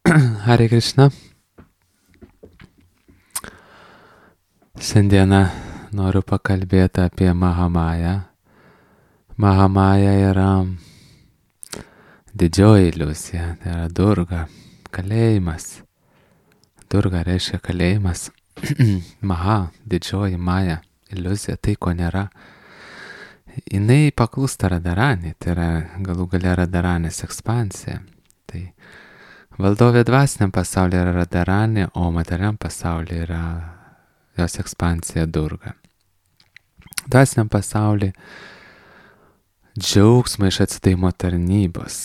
Hare Krishna. Šiandieną noriu pakalbėti apie Mahamają. Mahamaja yra didžioji iliuzija, tai yra Durga, kalėjimas. Durga reiškia kalėjimas. Maha, didžioji Maja, iliuzija, tai ko nėra. Jinai paklūsta Radharani, tai yra galų gale Radharanės ekspansija. Tai valdovė dvasiniam pasaulyje yra Radharani, o materialiam pasaulyje yra jos ekspansija Durga. Dvasiniam pasaulyje džiaugsmą iš atsidavimo tarnybos,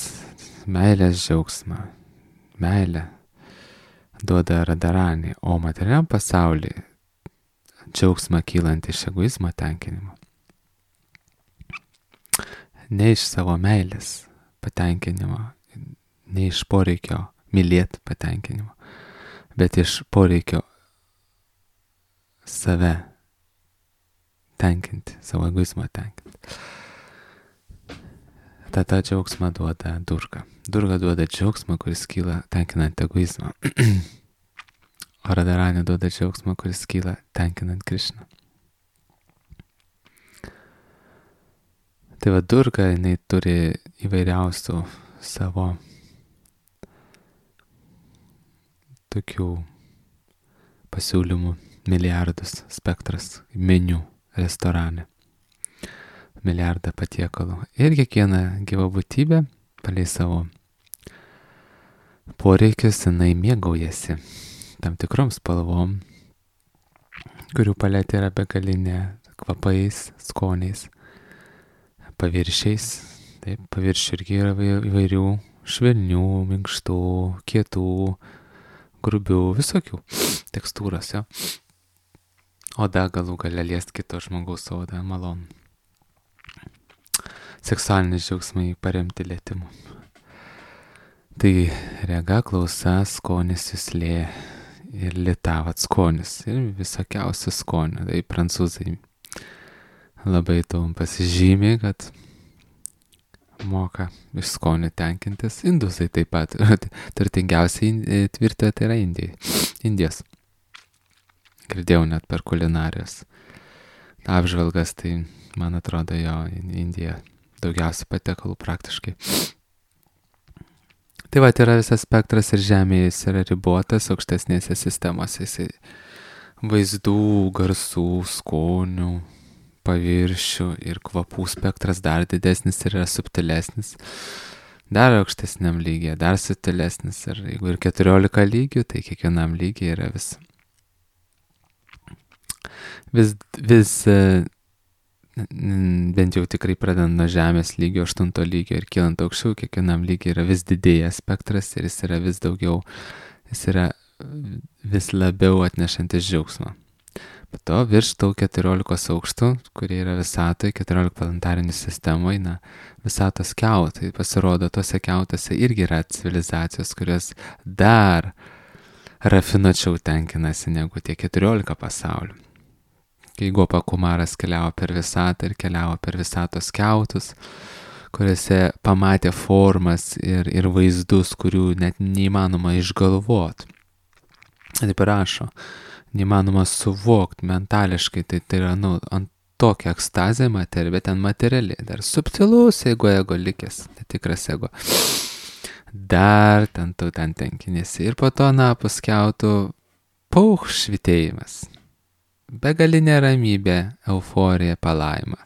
meilės džiaugsmą, meilę duoda Radharani, o materialiam pasaulyje džiaugsmą kylant iš egoizmo tenkinimo. Ne iš savo meilės patenkinimo, ne iš poreikio mylėti patenkinimo, bet iš poreikio save tenkinti, savo egoizmą tenkinti. Tada džiaugsmą duoda Durga. Durga duoda džiaugsmą, kuris kyla tenkinant egoizmą. O Radharani duoda džiaugsmą, kuris kyla tenkinant Krishną. Tai va Durga, jinai turi įvairiausių savo tokių pasiūlymų, milijardus, spektras, meniu restorane. Milijardą patiekalų. Ir kiekviena gyva būtybė, palei savo poreikius, jinai mėgaujasi tam tikrom spalvom, kurių paletė yra begalinė, kvapais, skoniais, paviršiais. Taip, paviršių irgi yra įvairių švelnių, minkštų, kietų, grubių, visokių tekstūros, jo. Oda galų gale liest kito žmogaus odą, malonu. Seksualinis džiaugsmai paremti lietimu. Tai rega, klausa, skonis, juslė ir litavat skonis. Ir visokiausių skonių. Tai prancūzai labai tuom pasižymė, kad moka iš skonių tenkintis. Indusai taip pat. Turtingiausiai tvirtė tai yra Indijos. Girdėjau net per kulinarijos apžvalgas, tai man atrodo jo Indija daugiausiai patiekalų praktiškai. Tai va, yra visas spektras ir žemėje jis yra ribotas, aukštesnėse sistemose jis vaizdų, garsų, skonių, paviršių ir kvapų spektras dar didesnis ir yra subtilesnis. Dar aukštesniam lygyje, dar subtilesnis. Ir jeigu ir 14 lygių, tai kiekvienam lygiai yra vis bent jau tikrai pradedant nuo žemės lygio, 8 lygio ir kylant aukščiau, kiekvienam lygiai yra vis didėja spektras ir jis yra vis daugiau, jis yra vis labiau atnešantis džiaugsmą. Po to virš tų 14 aukštų, kurie yra visatoje, 14 planetarinių sistemoje, visatos kiautai, pasirodo, tose kiautose irgi yra civilizacijos, kurios dar rafinuočiau tenkinasi negu tie 14 pasaulių. Kai Gopa Kumaras keliavo per visatą ir keliavo per visatos kiautus, kuriuose pamatė formas ir vaizdus, kurių net neįmanoma išgalvoti. Taip rašo, neįmanoma suvokti mentališkai, tai yra, ant tokia ekstazė materija, bet ten materialiai, dar subtilus ego likęs, netikras ego. Dar ten tenkinėsi. Ir po to napus kiautų švitėjimas. Begalinė ramybė, euforija, palaima.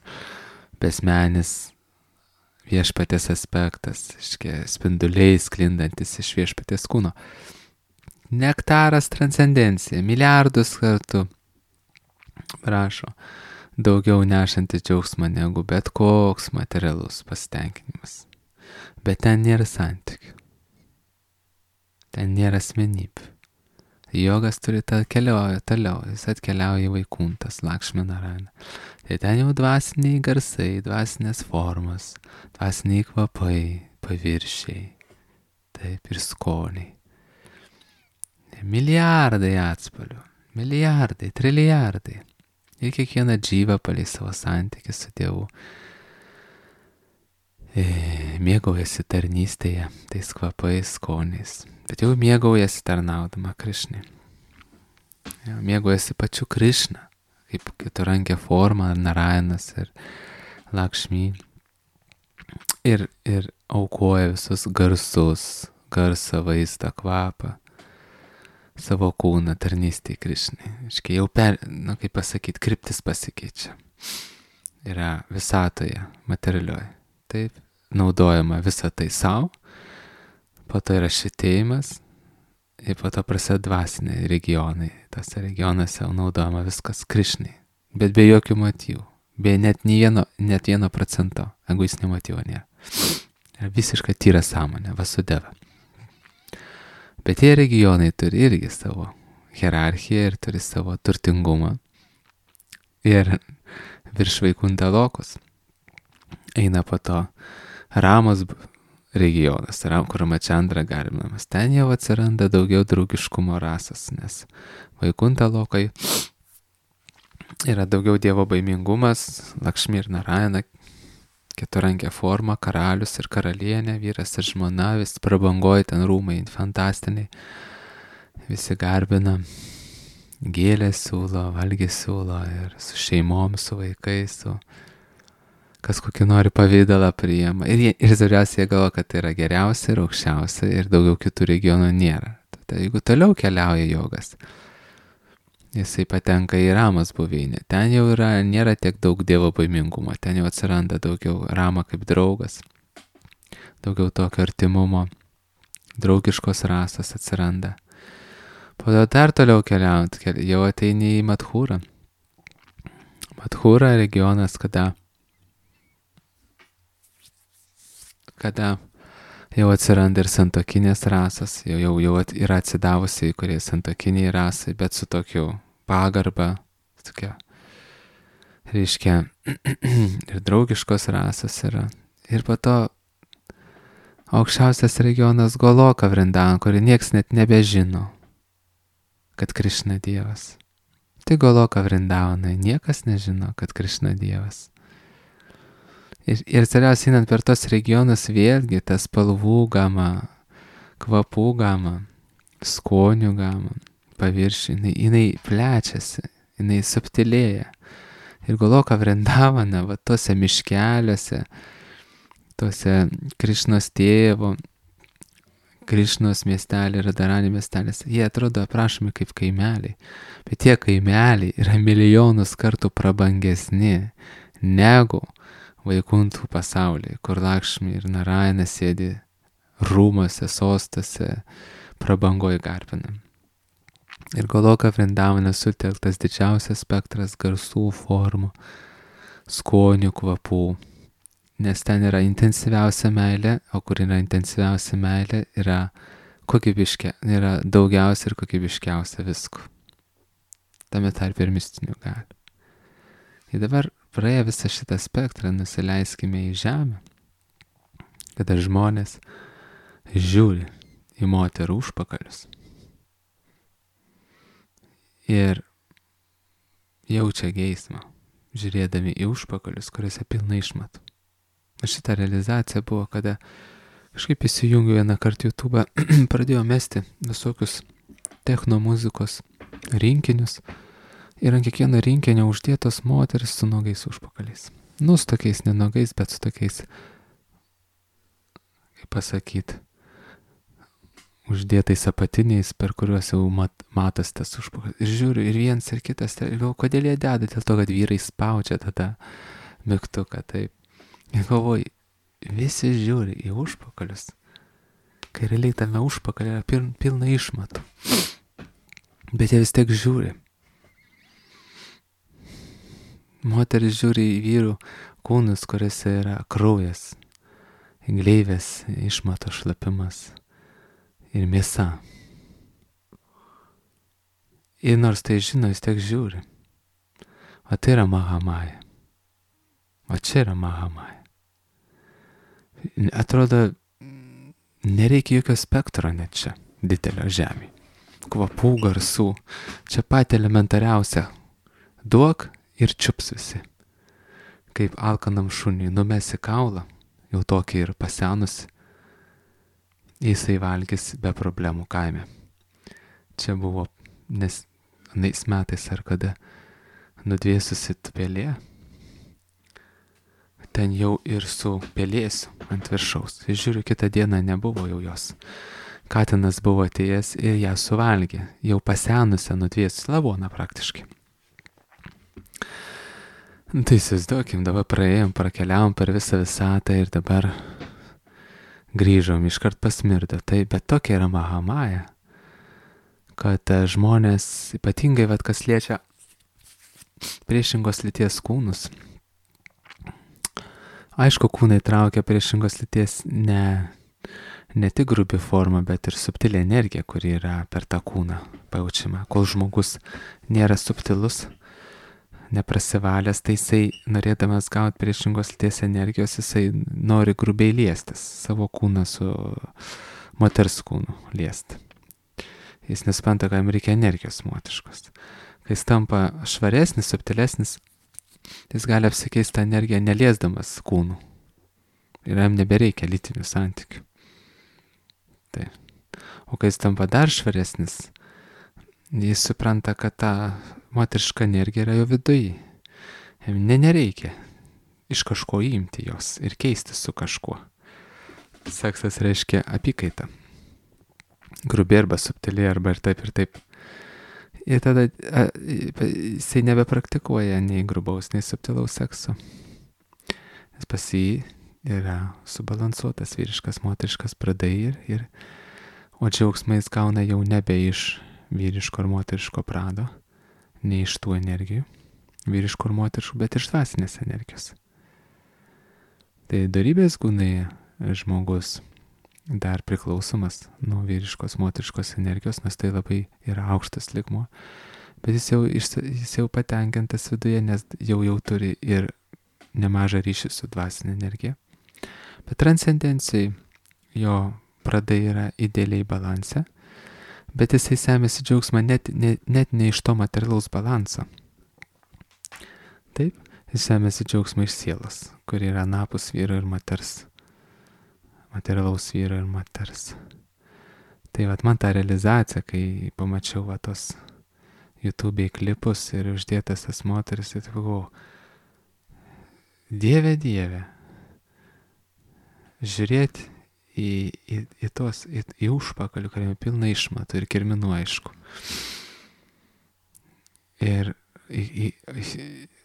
Besmenis viešpatės aspektas, spinduliai sklindantis iš viešpatės kūno. Nektaras transcendencija, milijardus kartų, prašo, daugiau nešantis džiaugsmą negu bet koks materialus pasitenkinimas. Bet ten nėra santykių. Ten nėra asmenybių. Jogas turi keliauja toliau, jis atkeliauja į Vaikuntas, Lakšmi Narayana. Tai ten jau dvasiniai garsai, dvasinės formos, dvasiniai kvapai, paviršiai, taip ir skoniai. Milijardai atspalvių, milijardai, trilijardai. Ir kiekviena džyva palei savo santykį su Dievu mėgaujasi tarnystėje, tais kvapais, skoniais, bet jau mėgaujasi tarnaudama Krišnai. Mėgaujasi pačiu Krišna, kaip keturankė forma, Narayanas ir Lakšmi. Ir aukoja visus garsus, garsą, vaizdą, kvapą, savo kūną tarnystėj Krišnai. Iškai jau kaip pasakyti, kryptis pasikeičia. Yra visatoje, materialioje. Taip, naudojama visą tai savo, po to yra šitėjimas ir po to prasideda dvasiniai regionai. Tose regionuose naudojama viskas Krišnai, bet be jokių motyvų, be net 1% egoistinio motyvo nėra. Yra visiškai tyra sąmonė, vasudeva. Bet tie regionai turi irgi savo hierarchiją ir turi savo turtingumą. Ir virš Vaikunta Lokos eina po to Ramos regionas, kur Mačandra garbinamas. Ten jau atsiranda daugiau draugiškumo rasas, nes Vaikunta Lokai yra daugiau dievo baimingumas, Lakšmi ir Narayana, keturankė forma, karalius ir karalienė, vyras ir žmona, vis prabangoja ten rūmai fantastiniai, visi garbina, gėlės siūlo, valgį siūlo ir su šeimom, su vaikais, kas kokį nori pavydalą priima. Ir zariausiai jie galvo, kad tai yra geriausia ir aukščiausia ir daugiau kitų regionų nėra. Tai jeigu toliau keliauja jogas, jisai patenka į Ramos buveinę. Ten jau nėra tiek daug dievo baimingumo, ten jau atsiranda daugiau Rama kaip draugas, daugiau tokio artimumo, draugiškos rasos atsiranda. Po to dar toliau keliaujant, jau ateini į Madhūrą. Madhūra regionas, kada jau atsiranda ir santuokinės rasos, jau yra atsidavusiai, kurie santuokiniai rasai, bet su tokiu pagarba, tokia, reiškia, ir draugiškos rasos yra. Ir po to aukščiausias regionas Goloka Vrindavan, kurį nieks net nebežino, kad Krišna Dievas. Tai Goloka Vrindavanai, niekas nežino, kad Krišna Dievas. Ir galiausiai einant per tos regionus vėlgi tas spalvų gama, kvapų gama, skonių gama, paviršiai, jinai plečiasi, jinai subtilėja. Ir Goloka Vrindavana, va tose miškeliuose, tose Krišnos tėvo, Krišnos miestelį, Radharani miestelis, jie atrodo aprašomi kaip kaimeliai, bet tie kaimeliai yra milijonus kartų prabangesni negu Vaikuntų pasaulyje, kur Lakšmi ir Narayana sėdi rūmuose, sostose, prabangoj garbinam. Ir Goloka Vrindavane sutelktas didžiausias spektras garsų, formų, skonių, kvapų, nes ten yra intensyviausia meilė, o kur yra intensyviausia meilė, yra daugiausia ir kokybiškiausia visko. Tame tarp ir mistinių galių. Ir dabar praėję visą šitą spektrą nusileiskime į žemę, kada žmonės žiūri į moterų užpakalius ir jaučia geismą, žiūrėdami į užpakalius, kuriuose pilna išmatų. Šitą realizaciją buvo, kada kažkaip įsijungiu vieną kartą YouTube, pradėjau mesti visokius techno muzikos rinkinius ir ant kiekvieno rinkinio uždėtos moteris su nogais užpakaliais. Su tokiais nenogais, bet su tokiais, kaip pasakyti, uždėtais apatiniais, per kuriuos jau matas tas užpakalis. Ir žiūriu, ir vienas, ir kitas, ir galvoju, kodėl jie deda, dėl to, kad vyrai spaudžia tada mygtuką, taip. Ir galvoju, visi žiūri į užpakalius, kai realiai tame užpakalį yra pilna išmatų. Bet jie vis tiek žiūri. Moteris žiūri į vyrų kūnus, kuriuose yra kraujas, gleivės, išmato šlapimas ir mėsa. Ir nors tai žino, vis tiek žiūri. O tai yra Mahamaja. O čia yra Mahamaja. Atrodo, nereikia jokio spektro net čia, didelio žemėje. Kvapų, garsų. Čia pat elementariausia. Duok ir čiups visi. Kaip alkanam šuniui numesi kaulą jau tokį ir pasenusi, jisai valgys be problemų kaime. Čia buvo anais metais ar kada nudvėsusi pelė, ten jau ir su pelėsiu ant viršaus. Ir žiūriu, kitą dieną nebuvo jau jos. Katinas buvo atėjęs ir ją suvalgė, jau pasenusią nudvėsusi lavoną praktiškai. Tai įsivaizduokim, dabar prakeliavom per visą visatą ir dabar grįžom, iškart pasmirdo. Tai, bet tokia yra Mahamaja, kad žmonės, ypatingai, kas liečia priešingos lyties kūnus. Aišku, kūnai traukia priešingos lyties ne tik grubi forma, bet ir subtilė energija, kuri yra per tą kūną pajaučiama. Kol žmogus nėra subtilus, neprasivalęs, tai jisai, norėdamas gauti priešingos lyties energijos, jisai nori grubiai liestis, savo kūną su moters kūnu liesti. Jis nesupranta, kad jam reikia energijos moteriškos. Kai jis tampa švaresnis, subtilesnis, jis gali apsikeisti tą energiją neliesdamas kūnų. Ir jam nebereikia lytinių santykių. Tai. O kai jis tampa dar švaresnis, jis supranta, kad ta moteriška energija yra jo viduje. Jam nereikia iš kažko imti jos ir keisti su kažkuo. Seksas reiškia apykaitą. Grubiai arba subtiliai arba ir taip ir taip. Ir tada jisai nebepraktikuoja nei grubaus, nei subtilaus sekso. Nes pas jį yra subalansuotas vyriškas, moteriškas pradai o džiaugsmą jis gauna jau nebe iš vyriško ir moteriško prado, ne iš tų energijų, vyriškų ir moteriškų, bet iš dvasinės energijos. Tai dorybės gūnai žmogus dar priklausomas nuo vyriškos, moteriškos energijos, nes tai labai yra aukštas lygmuo, bet jis jau patenkintas viduje, nes jau turi ir nemažą ryšį su dvasinė energija. Bet transcendencijai jo pradai yra idealiai balanse, bet jisai semėsi džiaugsmą net ne iš to materialaus balanso. Taip, jis semėsi džiaugsmą iš sielos, kuri yra anapus vyro ir moters, materialaus vyro ir moters. Tai man ta realizacija, kai pamačiau tos YouTube'ai klipus ir uždėtas tas moteris, tai galvojau, Dieve, žiūrėti į užpakalį, kuriame pilna išmatų ir kirminų, aišku. Ir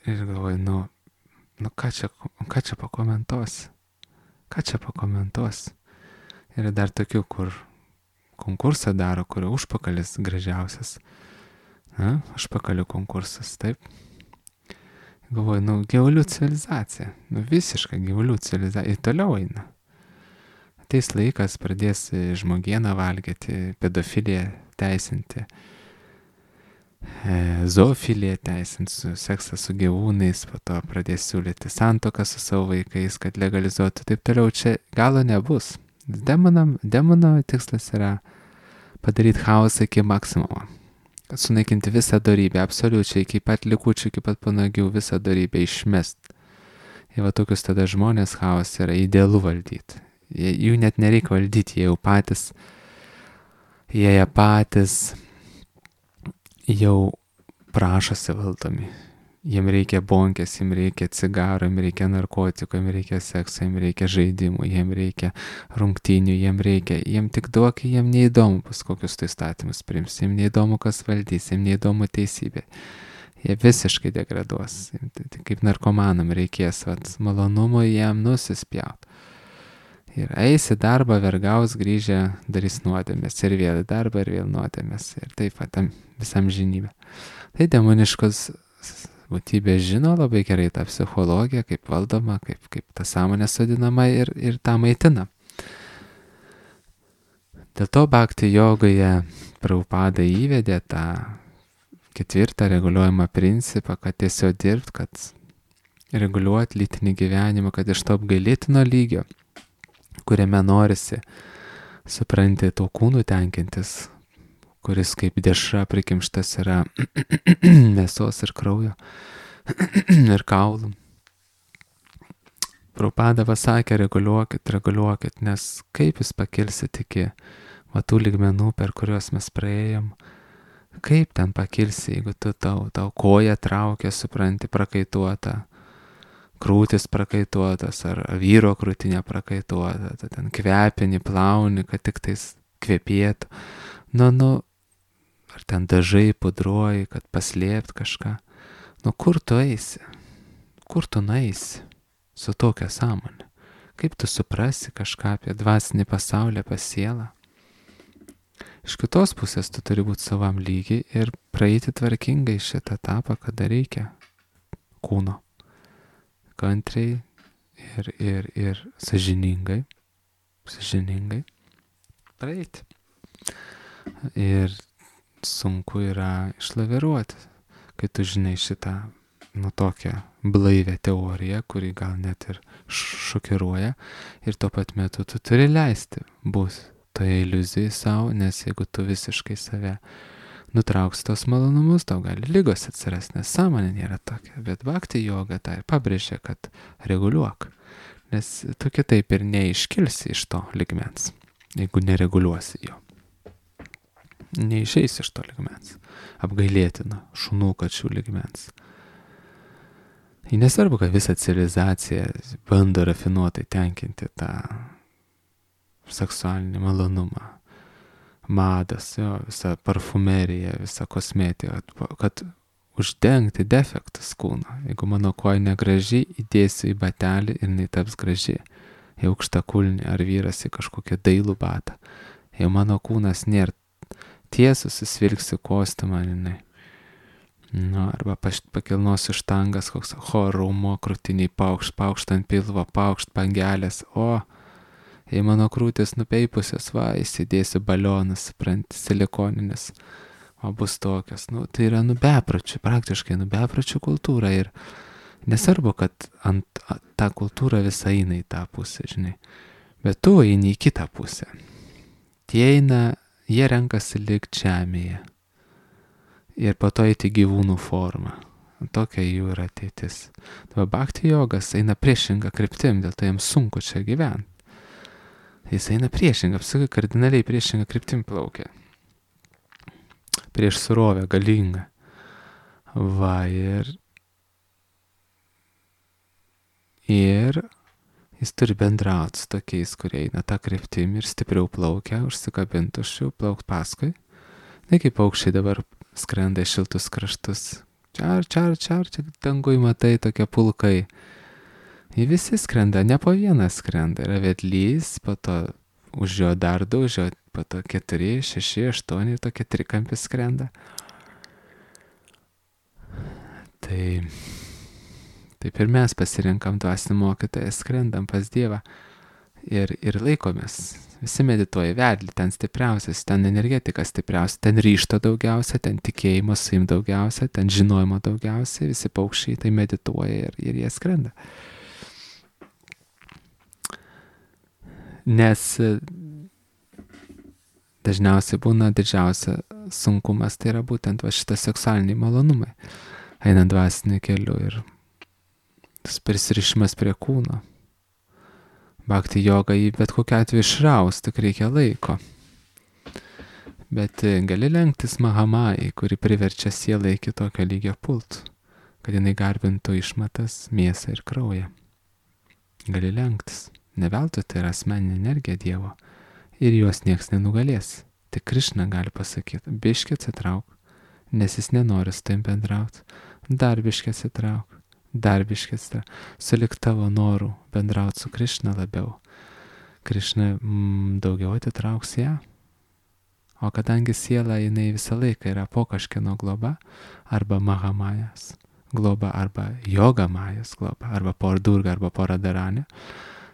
galvoju, ką čia pakomentuosi? Ką čia pakomentuosi? Yra dar tokių, kur konkursą daro, kurio užpakalis gražiausias. Užpakalių konkursas, taip. Galvoju, gyvulių civilizacija. Visiška gyvulių civilizacija. Ir toliau eina. Ateis laikas, pradės žmogieną valgyti, pedofiliją teisinti, zoofiliją teisinti, seksą su gyvūnais, po to pradės siūlyti santuoką su savo vaikais, kad legalizuotų. Taip toliau čia galo nebus. Demono tikslas yra padaryti chaosą iki maksimumo. Sunaikinti visą dorybę, absoliučiai, iki pat likučių, iki pat panagių, visą dorybę išmest. Ir tokius tada žmonės chaos yra idealu valdyti. Jų net nereikia valdyti, jie patys jau prašosi valdomi. Jiem reikia bonkės, jiem reikia cigarų, jiem reikia narkotikų, jiem reikia sekso, jiem reikia žaidimų, jiem reikia rungtynių, jiem tik duok, jiem neįdomu bus kokius tai statymus priims, jiem neįdomu kas valdys, jiem neįdomu teisybė. Jie visiškai degraduos. Tai kaip narkomanam reikės malonumo jiem nusispjaut. Ir eis į darbą, vergaus, grįžę, darys nuodėmės. Ir vėl į darbą, ir vėl nuodėmės. Ir taip tam visam žinybę. Tai demoniškos būtybės žino labai gerai tą psichologiją, kaip valdoma, kaip ta sąmonė sodinama ir tą maitina. Dėl to bhakti jogoje Prabhupada įvedė tą 4 reguliuojamą principą, kad tiesiog dirbt, kad reguliuoti lytinį gyvenimą, kad iš to apgailėtino lygio, kuriame norisi, supranti, to kūnų tenkintis, kuris kaip dešra prikimštas yra mėsos ir kraujo ir kaulų. Prabhupada pasakė, reguliuokit, nes kaip jūs pakilsit iki tų lygmenų, per kuriuos mes praėjom, kaip ten pakilsi, jeigu tau koja traukia, supranti, prakaituota, krūtis prakaituotas, ar vyro krūtinė prakaituota, ten kvepini, plauni, kad tik tais kvepėtų. Ar ten dažai pudruoji, kad paslėpt kažką. Kur tu eisi? Kur tu nueisi su tokia sąmonė? Kaip tu suprasi kažką apie dvasinį pasaulį, apie sielą? Iš kitos pusės tu turi būti savam lygiai ir praeiti tvarkingai šitą etapą, kada reikia kūno. Kantriai ir sąžiningai praeiti. Ir sunku yra išlaviruoti, kai tu žinai šitą tokią blaivę teoriją, kuri gal net ir šokiruoja, ir tuo pat metu tu turi leisti būti toje iliuzijai savo, nes jeigu tu visiškai save nutrauksi tos malonumus, tau gali ligos atsirasti, nes sąmonė nėra tokia. Bet bhakti joga tai pabrėžia, kad reguliuok, nes tu kitaip ir neiškilsi iš to lygmens, jeigu nereguliuosi jo. Neišeisi iš to lygmens, apgailėtino šunų kačių lygmens. Nesvarbu, kad visa civilizacija bando rafinuotai tenkinti tą seksualinį malonumą, madas, visa parfumerija, visa kosmetika, kad uždengti defektus kūno. Jeigu mano koja negraži, įdėsiu į batelį ir jinai taps graži. Į aukštą kulnį ar vyras į kažkokią dailų batą. Jei mano kūnas nėra tiesus, susvilksiu kostiumą, jinai. Arba pakilnosiu štangas, koks chorumo, krūtiniai paukšt ant pilvo, paukšt pangelės, jei mano krūtis nupeipusios, įsidėsiu balionus, supranti, silikoninis, bus tokios. Tai yra bepročių, praktiškai bepročių kultūra ir nesvarbu, kad ant tą kultūrą visą eina į tą pusę, žinai, bet tu eini į kitą pusę. Jie renkasi likti žemėje ir po to eiti gyvūnų formą. Tokia jų yra ateitis. Bhakti jogas eina priešingą kryptim, dėl to jiems sunku čia gyventi. Jis eina priešingą, apsakai kardinaliai priešingą kryptim plaukia. Prieš surovę, galingą. Ir jis turi bendrauti su tokiais, kurie eina tą kryptim ir stipriau plaukia, užsikabinti už jų, plaukti paskui. Tai kaip paukščiai dabar skrenda į šiltus kraštus. Čia dangui matai tokie pulkai. Jie visi skrenda, ne po vieną skrenda. Yra vedlys, po to už jo dar du, už jo po to 4, 6, 8 ir tokie trikampis skrenda. Taip ir mes pasirinkam dvasinį mokytoją, skrendam pas Dievą ir laikomės. Visi medituoja vedlį, ten stipriausias, ten energetika stipriausia, ten ryžto daugiausia, ten tikėjimo saim daugiausia, ten žinojimo daugiausia, visi paukščiai tai medituoja ir jie skrenda. Nes dažniausiai būna didžiausia sunkumas, tai yra būtent šitas seksualiniai malonumai, einant dvasiniu keliu ir tas prisirišimas prie kūno. Bhakti joga jį bet kokiu atveju išraus, tik reikia laiko. Bet gali lenktis Mahamajai, kuri priverčia sielą iki tokio lygio pult, kad jinai garbintų išmatas, mėsą ir kraują. Gali lenktis. Ne veltui tai yra asmeninė energija Dievo ir jos nieks nenugalės. Tik Krišna gali pasakyti, biškį atsitrauk, nes jis nenori su tavim bendrauti. Dar biškį atsitrauk. Sulik tavo norų bendrauti su Krišna labiau. Krišna daugiau atitrauks ją. O kadangi siela jinai visą laiką yra po kažkieno globa, arba Mahamajas globa, arba Jogamajas globa, arba por Durga, arba por Radharani,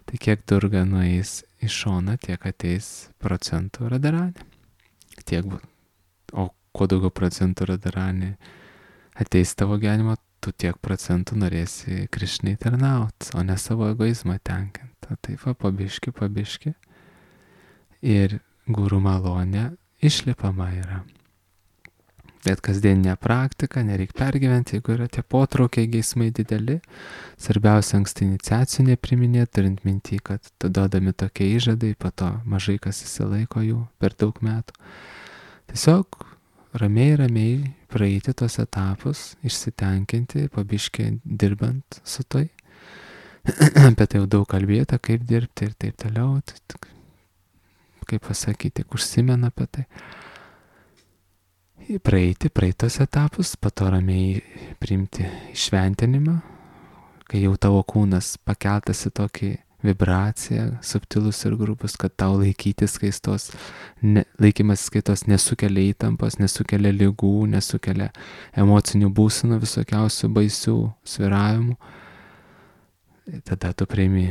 tai kiek Durga nueis į šoną, tiek ateis procentų Radharani. O kuo daugiau procentų Radharani ateis tavo gyvenimo, tu tiek procentų norėsi Krišnai tarnauti, o ne savo egoizmą tenkinti. Taip va, pabiški. Ir guru malonė išlipama yra. Bet kasdieninė praktika, nereik pergyventi, jeigu yra tie potraukiai, geismai dideli. Svarbiausia anksti iniciacijų nepriminėti, turint mintį, kad duodami tokie įžadai, po to mažai kas įsilaiko jų per daug metų. Tiesiog ramiai praeiti tos etapus, išsitenkinti, pabiškai dirbant su tai. Apie tai jau daug kalbėta, kaip dirbti ir taip toliau. Kaip pasakyti, tik užsimena apie tai. Praeiti tos etapus, po to ramiai priimti šventinimą, kai jau tavo kūnas pakeltas į tokį vibraciją, subtilus ir grubus, kad tau laikytis skaistos, laikymas skaitos nesukelia įtampos, nesukelia ligų, nesukelia emocinių būsenų visokiausių baisių svyravimų. Tada tu priimi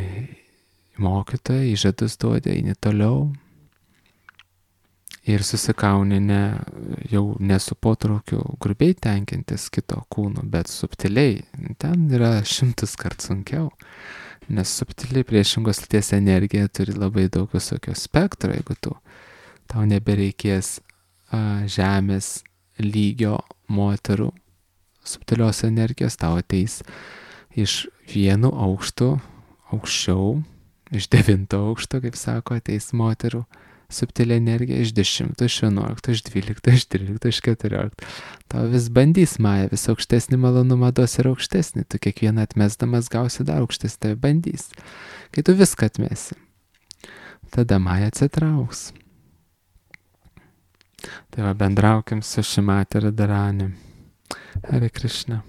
mokytoją, įžadus duodi, eini toliau. Ir susikauni jau ne su potraukiu grubiai tenkintis kito kūno, bet subtiliai. Ten yra 100 kartų sunkiau, nes subtiliai priešingos lyties energija turi labai daug visokio spektro. Jeigu tau nebereikės žemės lygio moterų subtilios energijos, tau ateis iš 1 aukštų aukščiau, iš 9 aukšto, kaip sako, ateis moterų subtilė energija iš 10, iš 11, iš 12, iš 13, iš 14. Tau vis bandys Maja, vis aukštesnį malonumą duos ir aukštesnį. Tu kiekvieną atmesdamas gausi dar aukštesnį, tave bandys. Kai tu viską atmesi, tada Maja atsitrauks. Tai va, bendraukim su Šimati Radharani. Hare Krishna.